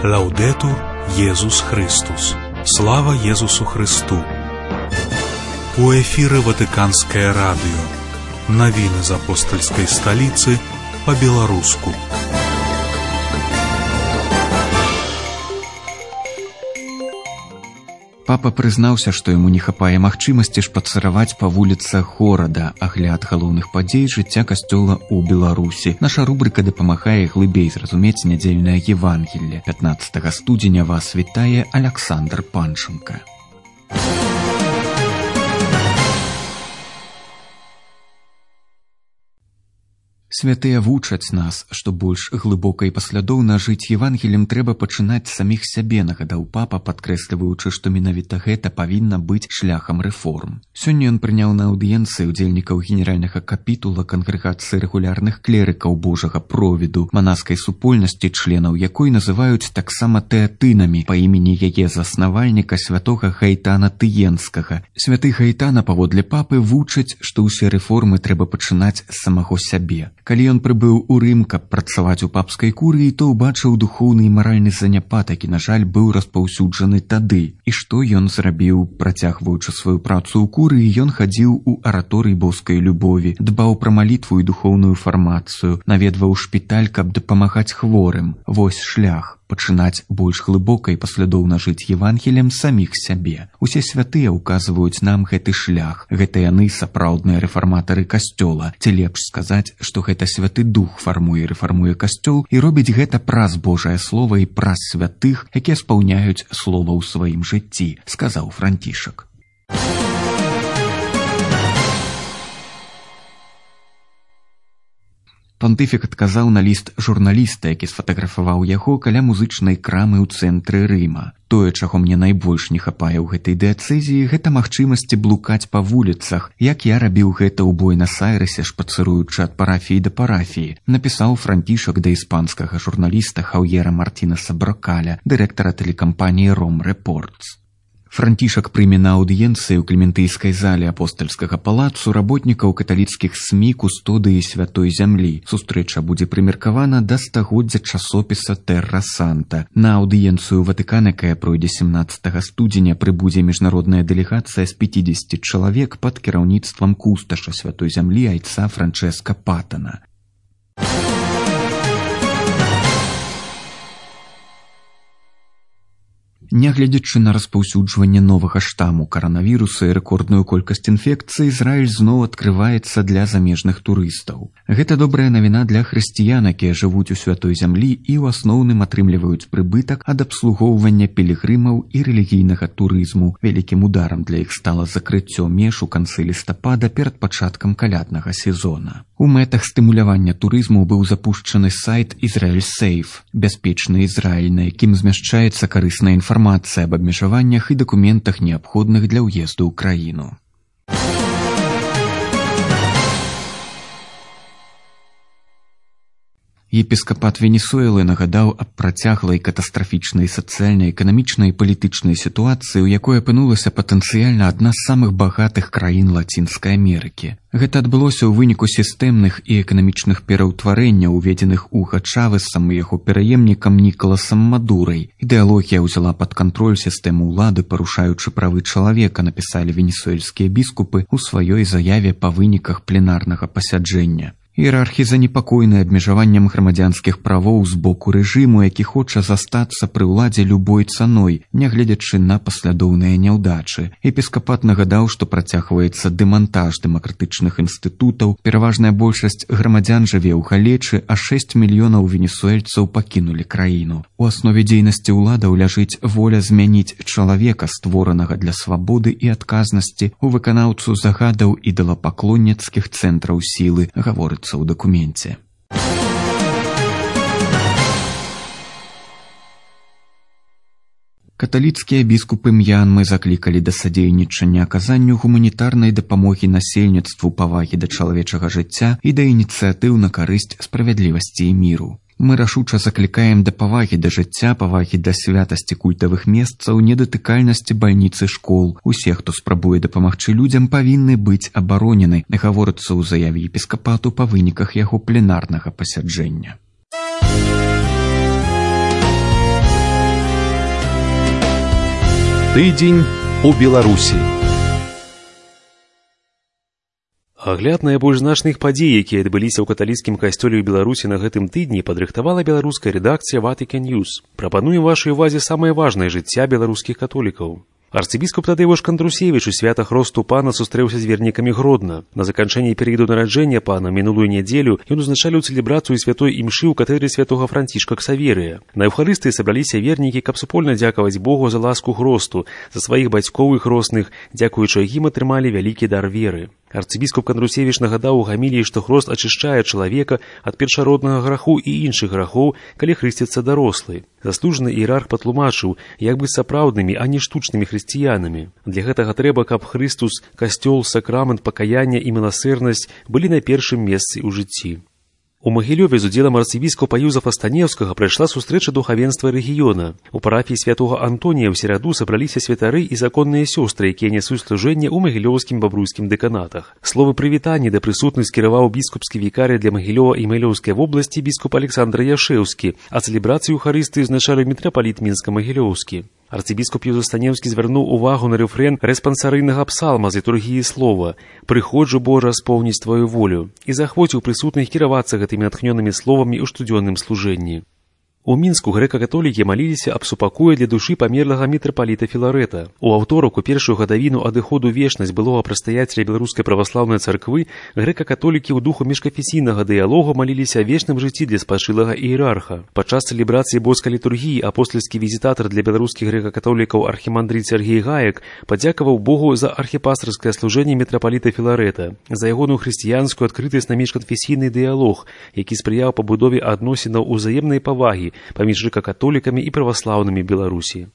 Лаўдетур Езус Христус. Слава Езусу Христу. У эфіры Ватыканскае радыё. Навіны з апостальскай сталіцы па-беларуску. Папа прызнаўся, што яму не хапае магчымасці шпацыраваць па вуліцах горада. Агляд галоўных падзей жыцця касцёла ў Беларусі. Наша рубрыка дапамагае глыбей зразумець нядзельнае Евангелле. 15 студзеня вас вітае Аляксандр Панченка. Святыя вучаць нас, што больш глыбока і паслядоўна жыць Евангеллем трэба пачынаць з саміх сябе, нагадаў папа, падкрэсліваючы, што менавіта гэта павінна быць шляхам рэформ. Сёння ён прыняў на аўдыенцыі ўдзельнікаў генеральнага капітула кангрэгацыі рэгулярных клерыкаў Божага провіду, манаскай супольнасці, членаў якой называюць таксама тэатынамі па імені яе заснавальніка святога Гаітана Тыенскага. Святы Гаітана, паводле папы, вучаць, што ўсе рэформы трэба пачынаць з самого сябе. Калі ён прыбыў у Рым, каб працаваць у папскай курыі, то ўбачыў духоўны і маральны заняпад, які, на жаль, быў распаўсюджаны тады. І што ён зрабіў? Працягваючы сваю працу ў курыі, ён хадзіў у араторый боскай любові, дбаў пра малітву і духоўную фармацыю, наведваў шпіталь, каб дапамагаць хворым. Вось шлях. Пачынаць больш глыбока і паслядоўна жыць Евангеллем саміх сябе. Усе святыя ўказваюць нам гэты шлях. Гэта яны сапраўдныя рэфарматары касцёла. Ці лепш сказаць, што гэта Святы Дух фармуе і рэфармуе касцёл і робіць гэта праз Божае Слова і праз святых, якія спаўняюць слова ў сваім жыцці, сказаў Францішак. Пантыфік адказаў на ліст журналіста, які сфатаграфаваў яго каля музычнай крамы ў цэнтры Рыма. Тое, чаго мне найбольш не хапае ў гэтай дыяцэзіі, гэта магчымасці блукаць па вуліцах, як я рабіў гэта ў Буэнас-Айрэсе, шпацыруючы ад парафіі да парафіі, напісаў Францішак да іспанскага журналіста Хаўера Мартінеса Брокаля, дырэктара тэлекампаніі «Ром Рэпортс». Францішак прыме на аўдыенцыі ў клементыйскай зале апостальскага палацу работнікаў каталіцкіх СМІ кустодыі святой зямлі. Сустрэча будзе прымеркавана да стагоддзя часопіса «Тэрра Санта». На аўдыенцыю Ватыкана, якая пройдзе 17 студзеня, прыбудзе міжнародная дэлегацыя з 50 чалавек пад кіраўніцтвам кусташа святой зямлі айца Франчэска Патана. Нягледзячы на распаўсюджванне новага штаму каранавіруса і рэкордную колькасць інфекцый, Ізраіль зноў адкрываецца для замежных турыстаў. Гэта добрая навіна для хрысціян, якія жывуць у святой зямлі і ў асноўным атрымліваюць прыбытак ад абслугоўвання пілігрымаў і рэлігійнага турызму. Вялікім ударам для іх стала закрыццё меж у канцы лістапада перад пачаткам каляднага сезона. У мэтах стымулявання турызму быў запушчаны сайт «Ізраіль Сейф» – «Бяспечны Ізраіль», на якім змяшчаецца карысная інфармацыя аб абмежаваннях і дакументах, неабходных для ўезду ў краіну. Епіскапат Венесуэлы нагадаў аб працяглай катастрафічнай сацыяльнай, эканамічнай і палітычнай сітуацыі, у якой апынулася патэнцыяльна адна з самых багатых краін Лацінскай Амерыкі. Гэта адбылося ў выніку сістэмных і эканамічных пераўтварэнняў, уведзеных Уга Чавесам і яго пераемнікам Нікаласам Мадурай. Ідэалогія ўзяла пад кантроль сістэму ўлады, парушаючы правы чалавека, напісалі венесуэльскія біскупы ў сваёй заяве па выніках пленарнага пасяджэння. Іерархі занепакоены абмежаваннем грамадзянскіх правоў з боку рэжыму, які хоча застацца пры ўладзе любой цаной, нягледзячы на паслядоўныя няўдачы. Епіскапат нагадаў, што працягваецца дэмантаж дэмакратычных інстытутаў, пераважная большасць грамадзян жыве ў галечы, а 6 мільёнаў венесуэльцаў пакінулі краіну. У аснове дзейнасці ўладаў ляжыць воля змяніць чалавека, створанага для свабоды і адказнасці, у выканаўцу загадаў ідалапаклонніцкіх цэнтраў сілы, гаворыцца у дакуменце. Каталіцкія біскупы М'янмы заклікалі да садзейнічання аказанню гуманітарнай дапамогі насельніцтву, павагі да чалавечага жыцця і да ініцыятыў на карысць справядлівасці і міру. Мы рашуча заклікаем да павагі да жыцця, павагі да святасці культавых месцаў, недатыкальнасці бальніцы школ. Усе, хто спрабуе дапамагчы людзям, павінны быць абаронены, гаворыцца ў заяве епіскапату па выніках яго пленарнага пасяджэння. Тыдзень у Беларусі. Агляд найбольш значных падзей, якія адбыліся ў каталіцкім касцёле ў Беларусі на гэтым тыдні, падрыхтавала беларуская рэдакцыя Vatican News. Прапануем вашай увазе самае важнае жыцця беларускіх католікаў. Арцыбіскуп Тадзеуш Кандрусевіч у свята Хросту Пана сустрэўся з вернікамі Гродна. На заканчэнні перыяду нараджэння Пана мінулую нядзелю ён узначаліў цэлебрацыю святой імшы ў катэдры святога Францішка Ксаверыя. На Еўхарыстыі сабраліся вернікі, каб супольна дзякаваць Богу за ласку Хросту, за сваіх бацькоў і хросных, дзякуючы якім атрымалі вялікі дар веры. Арцыбіскуп Кандрусевіч нагадаў у гаміліі, што хрост ачышчае чалавека ад першароднага граху і іншых грахоў, калі хрысціцца дарослы. Заслужаны іерарх патлумачыў, як быць сапраўднымі, а не штучнымі хрысціянамі. Для гэтага трэба, каб Хрыстус, касцёл, сакрамент, пакаяння і міласэрнасць былі на першым месцы ў жыцці. У Магілёве з удзелам арцыбіскупа Юзафа Станеўскага прайшла сустрэча духавенства рэгіёна. У парафіі святога Антонія ў сераду сабраліся святары і законныя сёстры, якія нясуць служэнне ў магілёўскім бабруйскім дэканатах. Словы прывітання да прысутных скіраваў біскупскі вікарый для Магілёва і Магілёўскай вобласці біскуп Александр Яшэўскі, а цэлебрацыю Еўхарыстыі узначаліў мітрапаліт Мінска-Магілёўскі. Арцыбіскуп Юзаф Станеўскі звярнуў увагу на рэфрэн рэспансарыйнага псалма з літургіі слова «Прыходжу, Божа, споўніць твою волю» і захвоціў прысутных кіравацца гэтымі натхнёнымі словамі ў штодзённым служэнні. У Мінску грэка-католікі маліліся аб супакоі для душы памерлага мітрапаліта Філарэта. У аўторак, у першую гадавіну адыходу вечнасць былога прадстаяцеля беларускай праваслаўнай царквы, грэка-католікі ў духу міжканфесійнага дыялогу маліліся о вечным жыцці для спачылага іерарха. Падчас цэлебрацыі боскай літургіі апостальскі візітатар для беларускіх грэка-католікаў архімандрыт Сергей Гаек падзякаваў Богу за архіпастырскае служэнне мітрапаліта Філарэта, за ягоную хрысціянскую адкрытасць на міжканфесійны дыялог, які спрыяў пабудове адносінаў узаемнай павагі паміж грэка-католікамі і праваслаўнымі Беларусі.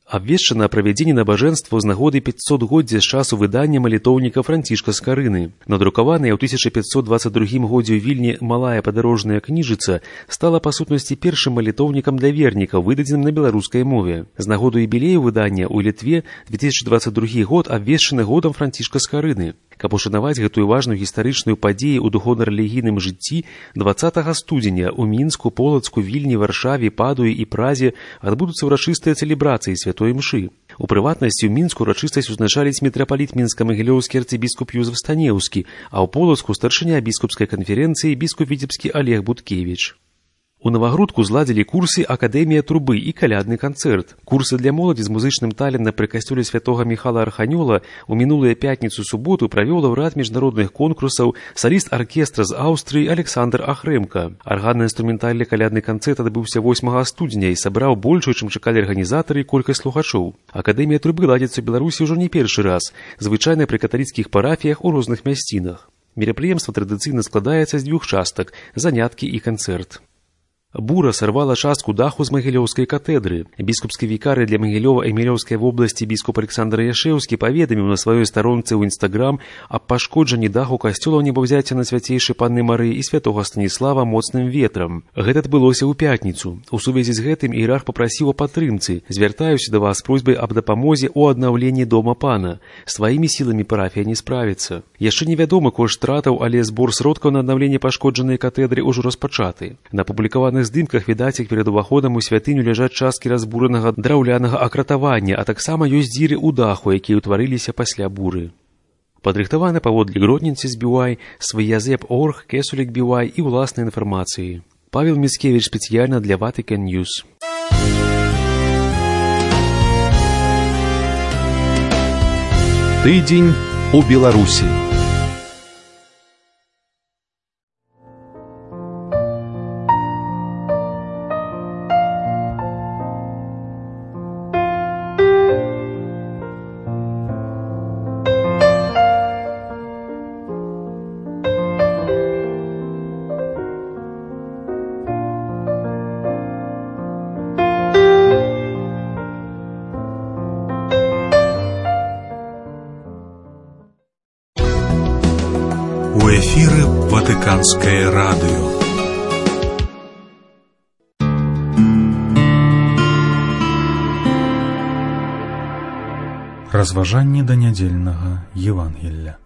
Абвешчана правядзенне набажэнства з нагоды 500годдзя з часу выдання малітоўніка Францішка Скарыны. Надрукаваная ў 1522 годзе ў Вільні малая падарожная кніжыца стала па сутнасці першым малітоўнікам для вернікаў, выдадзеным на беларускай мове. З нагоду юбілею выдання ў Літве 2022 год абвешчаны годам Францішка Скарыны. Каб ушанаваць гэтую важную гістарычную падзею ў духоўна-рэлігійным жыцці, 20 студзеня ў Мінску, Полацку, Вільні, Варшаве, Падуі і Празе адбудуцца ўрачыстыя цэлебрацыі святой імшы. У прыватнасці ў Мінску ўрачыстасць узначаліць мітрапаліт мінска-магілёўскі арцыбіскуп Юзаф Станеўскі, а ў Полацку старшыня біскупскай канферэнцыі біскуп Віцебскі Олег Буткевіч. У Навагрудку зладзілі курсы «Акадэмія трубы» і калядны канцэрт. Курсы для моладзі з музычным талентам пры касцёле святога Міхала Арханёла ў мінулыя пятніцу-суботу правёў лаўрэат міжнародных конкурсаў, саліст аркестра з Аўстрыі Александр Ахрэмка. Арганна-інструментальны калядны канцэрт адбыўся 8 студзеня і сабраў большую, чым чакалі арганізатары, колькасць слухачоў. Акадэмія трубы ладзіцца ў Беларусі ўжо не першы раз, звычайна пры каталіцкіх парафіях у розных мясцінах. Мерапрыемства традыцыйна складаецца з 2 частак – заняткі і канцэрт. Бура сарвала частку даху з Магілёўскай катэдры. Біскупскі вікарый для Магілёва і Магілёўскай вобласці біскуп Александр Яшэўскі паведаміў на сваёй старонцы ў Інстаграм аб пашкоджанні даху касцёла ў небаўзяцця на свяцейшай Панны Марыі і святога Станіслава моцным ветрам. Гэта адбылося ў пятніцу. У сувязі з гэтым іерарх папрасіў о падтрымцы. Звяртаюся да вас з просьбай аб дапамозе ў аднаўленні дома пана. Сваімі сіламі парафія не справіцца. Яшчэ невядомы кошт стратаў, але збор сродкаў на аднаўленне пашкоджанай катэдры ўжо распачаты. На публікаваных здымках відаць, як перад уваходам у святыню ляжаць часткі разбуранага драўлянага акратавання, а таксама ёсць дзіры ў даху, якія ўтварыліся пасля буры. Падрыхтаваны паводле Гродніцы збівай, свыязэп.орг, Кесулік бівай і ўласнай інфармацыі. Павел Міцкевіч спецыяльна для Vatican News. Тыдзень у Беларусі. У эфіры Ватыканскае радыё. Разважанні да нядзельнага Евангелля.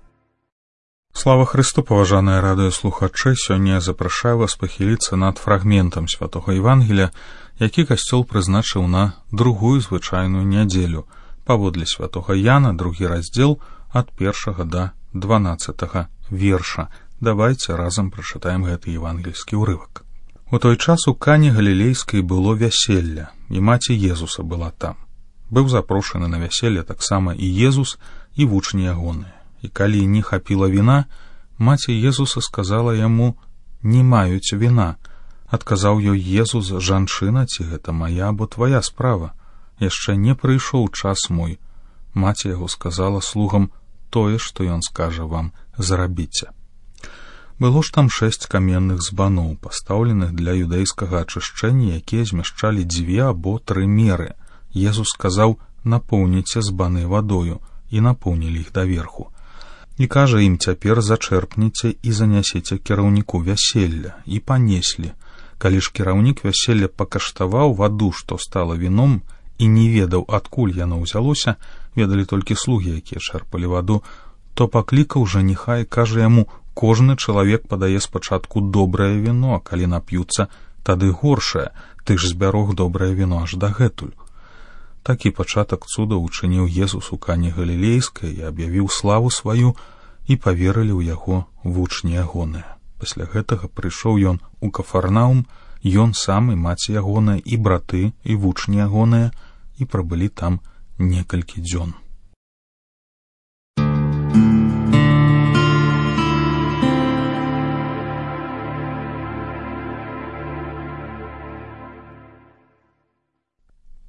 Слава Христу, паважаныя радыёслухачы, сёння я запрашаю вас пахіліцца над фрагментам святога Евангелля, які касцёл прызначыў на другую звычайную нядзелю, паводле святога Яна, 2 раздзел, ад 1 да 12 верша. Давайце разам прачытаем гэты евангельскі ўрывак. У той час у Кане Галілейскай было вяселле, і маці Езуса была там. Быў запрошаны на вяселле таксама і Езус, і вучні ягоныя. І калі не хапіла віна, маці Езуса сказала яму: «Не маюць віна». Адказаў ёй Езус: «Жанчына, ці гэта мая або твая справа? Яшчэ не прыйшоў час мой». Маці яго сказала слугам: «Тое, што ён скажа вам, зрабіце». Было ж там 6 каменных збаноў, пастаўленых для юдэйскага ачышчэння, якія змяшчалі 2 або 3 меры. Езус сказаў: «Напоўніце збаны вадою», і напоўнілі іх даверху. І кажа ім: «Цяпер зачэрпніце і занясіце кіраўніку вяселля». І панеслі. Калі ж кіраўнік вяселля пакаштаваў ваду, што стала віном, і не ведаў, адкуль яно ўзялося, ведалі толькі слугі, якія чэрпалі ваду, то паклікаў жаніха і кажа яму: «Кожны чалавек падае спачатку добрае віно, а калі нап'юцца, тады горшае, ты ж збярог добрае віно аж дагэтуль». Такі пачатак цудаў учыніў Езус у Кане Галілейскай і аб'явіў славу сваю, і паверылі ў яго вучні ягоныя. Пасля гэтага прыйшоў ён у Кафарнаум, ён сам і маці ягоная, і браты, і вучні ягоныя, і прабылі там некалькі дзён.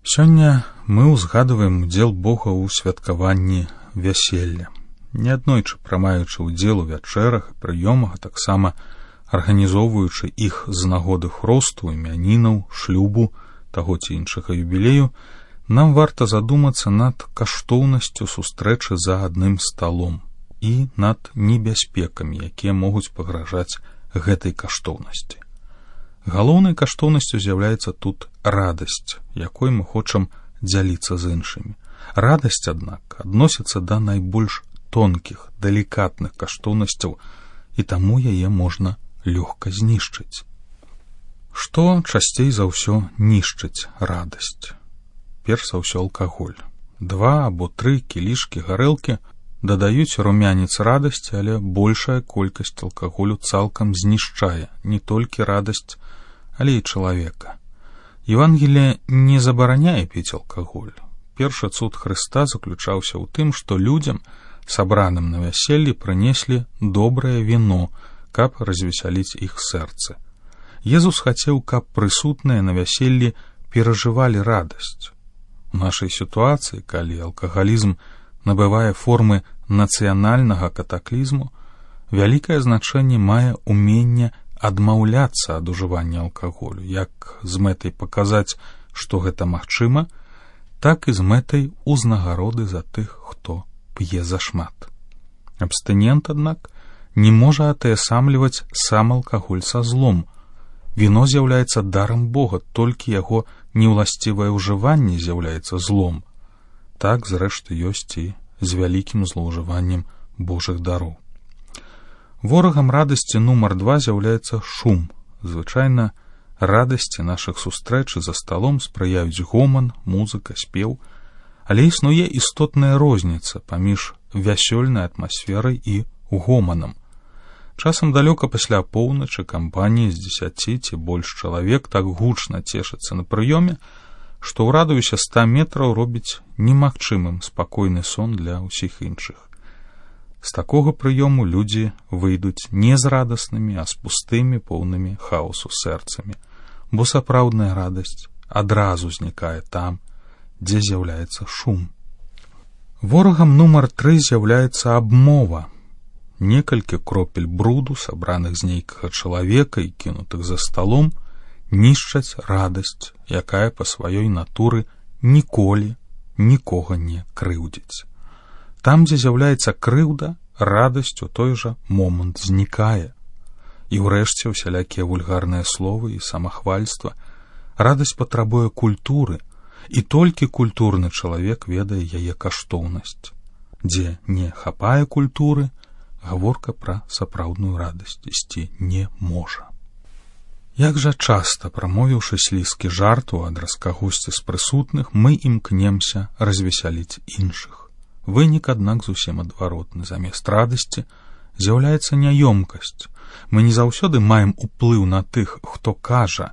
Сёння мы ўзгадваем удзел Бога ў святкаванні вяселля. Неаднойчы прымаючы ўдзел у вячэрах і прыёмах, а таксама арганізоўваючы іх з нагоды хросту, імянінаў, шлюбу, таго ці іншага юбілею, нам варта задумацца над каштоўнасцю сустрэчы за адным сталом і над небяспекамі, якія могуць пагражаць гэтай каштоўнасці. Галоўнай каштоўнасцю з'яўляецца тут радасць, якой мы хочам дзяліцца з іншымі. Радасць, аднак, адносіцца да найбольш тонкіх, далікатных каштоўнасцяў, і таму яе можна лёгка знішчыць. Што часцей за ўсё нішчыць радасць? Перш за ўсё алкаголь. 2 або 3 кілішкі гарэлкі дадаюць румянец радасці, але большая колькасць алкаголю цалкам знішчае не толькі радасць, але і чалавека. Евангелие не забараняе піць алкаголь. Першы цуд Хрыста заключаўся ў тым, што людзям, сабраным на вяселлі, прынеслі добрае віно, каб развесяліць іх сэрцы. Езус хацеў, каб прысутныя на вяселлі перажывалі радасць. У нашай сітуацыі, калі алкагалізм набывае формы нацыянальнага катаклізму, вялікае значэнне мае ўменне адмаўляцца ад ужывання алкаголю, як з мэтай паказаць, што гэта магчыма, так і з мэтай узнагароды за тых, хто п'е зашмат. Абстынент, аднак, не можа атаясамліваць сам алкаголь са злом. Віно з'яўляецца дарам Бога, толькі яго неўласцівае ўжыванне з'яўляецца злом. Так, зрэшты, ёсць і з вялікім злоўжываннем Божых дароў. Ворагам радасці нумар 2 з'яўляецца шум. Звычайна радасці нашых сустрэч за сталом спрыяюць гоман, музыка, спеў, але існуе істотная розніца паміж вясёльнай атмасферай і гоманам. Часам далёка пасля поўначы кампаніі з 10 ці больш чалавек так гучна цешыцца на прыёме, што ў радыусе 100 метраў робіць немагчымым спакойны сон для ўсіх іншых. З такога прыёму людзі выйдуць не з радаснымі, а з пустымі, поўнымі хаосу сэрцамі, бо сапраўдная радасць адразу знікае там, дзе з'яўляецца шум. Ворагам нумар 3 з'яўляецца абмова. Некалькі кропель бруду, сабраных з нейкага чалавека і кінутых за сталом, нішчаць радасць, якая па сваёй натуры ніколі нікога не крыўдзіць. Там, дзе з'яўляецца крыўда, радасць у той жа момант знікае. І ўрэшце усялякія вульгарныя словы і самахвальства. Радасць патрабуе культуры, і толькі культурны чалавек ведае яе каштоўнасць. Дзе не хапае культуры, гаворка пра сапраўдную радасць ісці не можа. Як жа часта, прамовіўшы слізкі жарту ад раскагосці з прысутных, мы імкнемся развесяліць іншых. Вынік, аднак, зусім адваротны. Замест радасці з'яўляецца няёмкасць. Мы не заўсёды маем уплыў на тых, хто кажа,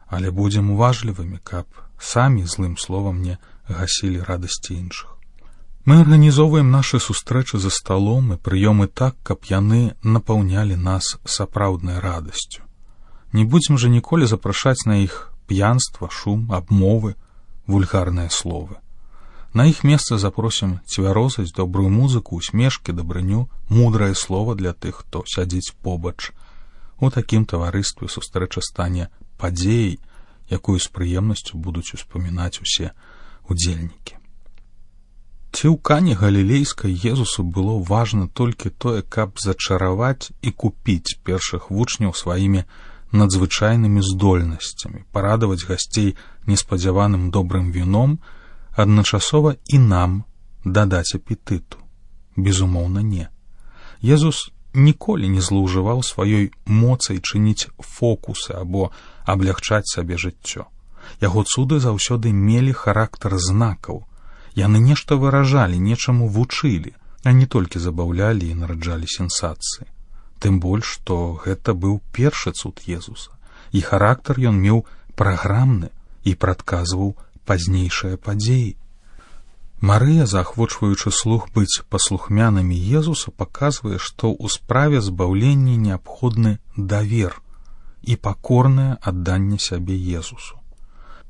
але будзем уважлівымі, каб самі злым словам не гасілі радасці іншых. Мы арганізоўваем нашы сустрэчы за сталом і прыёмы так, каб яны напаўнялі нас сапраўднай радасцю. Не будзем жа ніколі запрашаць на іх п'янства, шум, абмовы, вульгарныя словы. На іх месца запросім цвярозасць, добрую музыку, усмешкі, дабрыню, мудрае слова для тых, хто сядзіць побач. У такім таварыстве сустрэча стане падзеяй, якую з прыемнасцю будуць успамінаць усе удзельнікі. Ці ў Кане Галілейскай Езусу было важна толькі тое, каб зачараваць і купіць першых вучняў сваімі надзвычайнымі здольнасцямі, парадаваць гасцей неспадзяваным добрым віном, адначасова і нам дадаць апетыту? Безумоўна, не. Езус ніколі не злоўжываў сваёй моцай чыніць фокусы або аблягчаць сабе жыццё. Яго цуды заўсёды мелі характар знакаў. Яны нешта выражалі, нечаму вучылі, а не толькі забаўлялі і нараджалі сенсацыі. Тым больш, што гэта быў першы цуд Езуса, і характар ён меў праграмны і прадказваў пазнейшыя падзеі. Марыя, заахвочваючы слух быць паслухмянымі Езуса, паказвае, што ў справе збаўлення неабходны давер і пакорнае адданне сябе Езусу.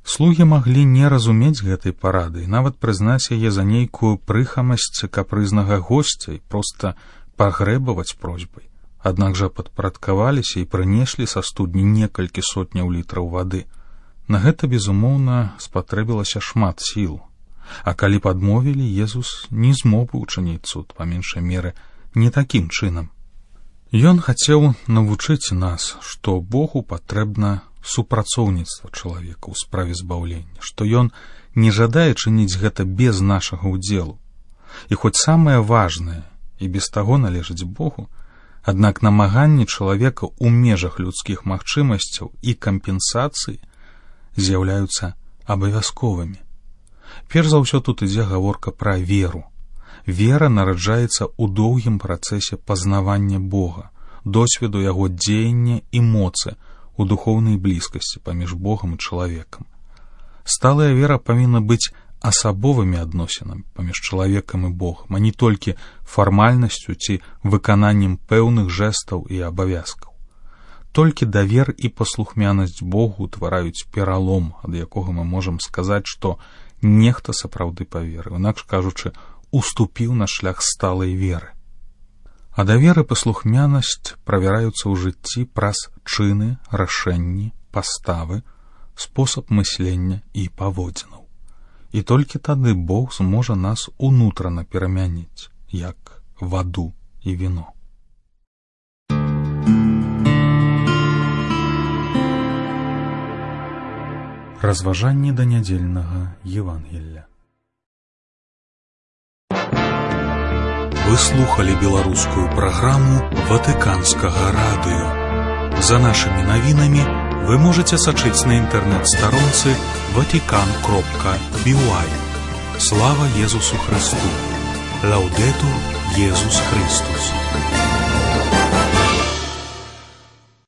Слугі маглі не разумець гэтай парады і нават прызнаць яе за нейкую прыхамасць капрызнага госця і проста пагрэбаваць просьбай. Аднак жа падпарадкаваліся і прынеслі са студні некалькі сотняў літраў вады. На гэта, безумоўна, спатрэбілася шмат сіл. А калі падмовілі, Езус не змог бы учыніць цуд, па меншай меры, не такім чынам. Ён хацеў навучыць нас, што Богу патрэбна супрацоўніцтва чалавека ў справе збаўлення, што ён не жадае чыніць гэта без нашага ўдзелу. І хоць самае важнае і без таго належыць Богу, аднак намаганні чалавека ў межах людскіх магчымасцяў і кампенсацыі з'яўляюцца абавязковымі. Перш за ўсё тут ідзе гаворка пра веру. Вера нараджаецца ў доўгім працэсе пазнавання Бога, досведу яго дзеяння і моцы у духоўнай блізкасці паміж Богам і чалавекам. Сталая вера павінна быць асабовымі адносінамі паміж чалавекам і Богам, а не толькі фармальнасцю ці выкананнем пэўных жэстаў і абавязкаў. Толькі давер і паслухмянасць Богу утвараюць пералом, ад якога мы можам сказаць, што нехта сапраўды паверыў, інакш кажучы, уступіў на шлях сталай веры. А давер і паслухмянасць правяраюцца ў жыцці праз чыны, рашэнні, паставы, спосаб мыслення і паводзінаў. І толькі тады Бог зможа нас унутрана перамяніць, як ваду і віно. Разважанні да нядзельнага Евангелля. Вы слухали беларускую праграму Ватыканскага радыё. За нашымі навінамі вы можете сачыць на інтэрнэт-старонцы vatican.by. Слава Езусу Христу! Лаудетур Езус Христус!